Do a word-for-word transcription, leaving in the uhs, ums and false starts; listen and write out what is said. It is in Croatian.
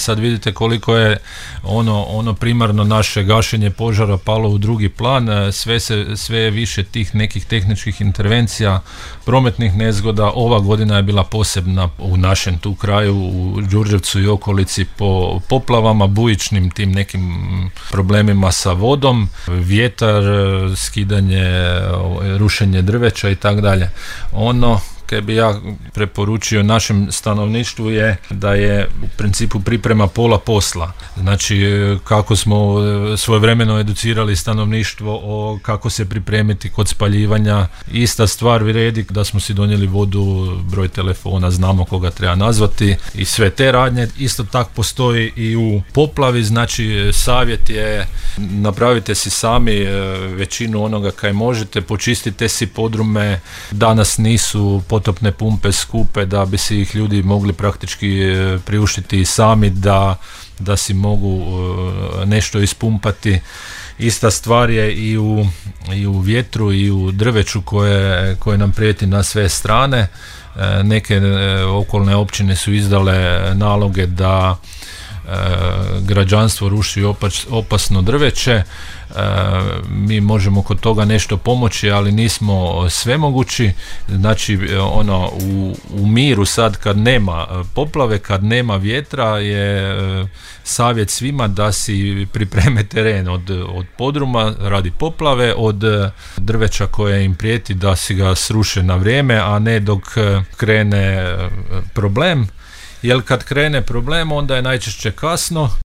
sad vidite koliko je ono, ono primarno naše gašenje požara palo u drugi plan, sve, se, sve je više tih nekih tehničkih intervencija, prometnih nezgoda. Ova godina je bila posebna u našem tu kraju, u Đurđevcu i okolici, po poplavama, bujičnim tim nekim problemima sa vodom, vjetar, skidanje, rušenje drveća i tako dalje. Ono kaj bi ja preporučio našem stanovništvu je da je u principu priprema pola posla. Znači kako smo svojevremeno educirali stanovništvo o kako se pripremiti kod spaljivanja, ista stvar vrijedi da smo si donijeli vodu, broj telefona, znamo koga treba nazvati i sve te radnje. Isto tako postoji i u poplavi, znači savjet je napravite si sami većinu onoga kaj možete, počistite si podrume, danas nisu potopne pumpe skupe da bi si ih ljudi mogli praktički priuštiti i sami da, da si mogu nešto ispumpati. Ista stvar je i u, i u vjetru i u drveću koje, koje nam prijeti na sve strane. Neke okolne općine su izdale naloge da građanstvo ruši opas, opasno drveće. E, mi možemo kod toga nešto pomoći, ali nismo svemogući. Znači ono u, u miru sad kad nema poplave, kad nema vjetra je e, savjet svima da si pripreme teren od, od podruma radi poplave, od drveća koje im prijeti da si ga sruše na vrijeme, a ne dok krene problem. Jer kad krene problem onda je najčešće kasno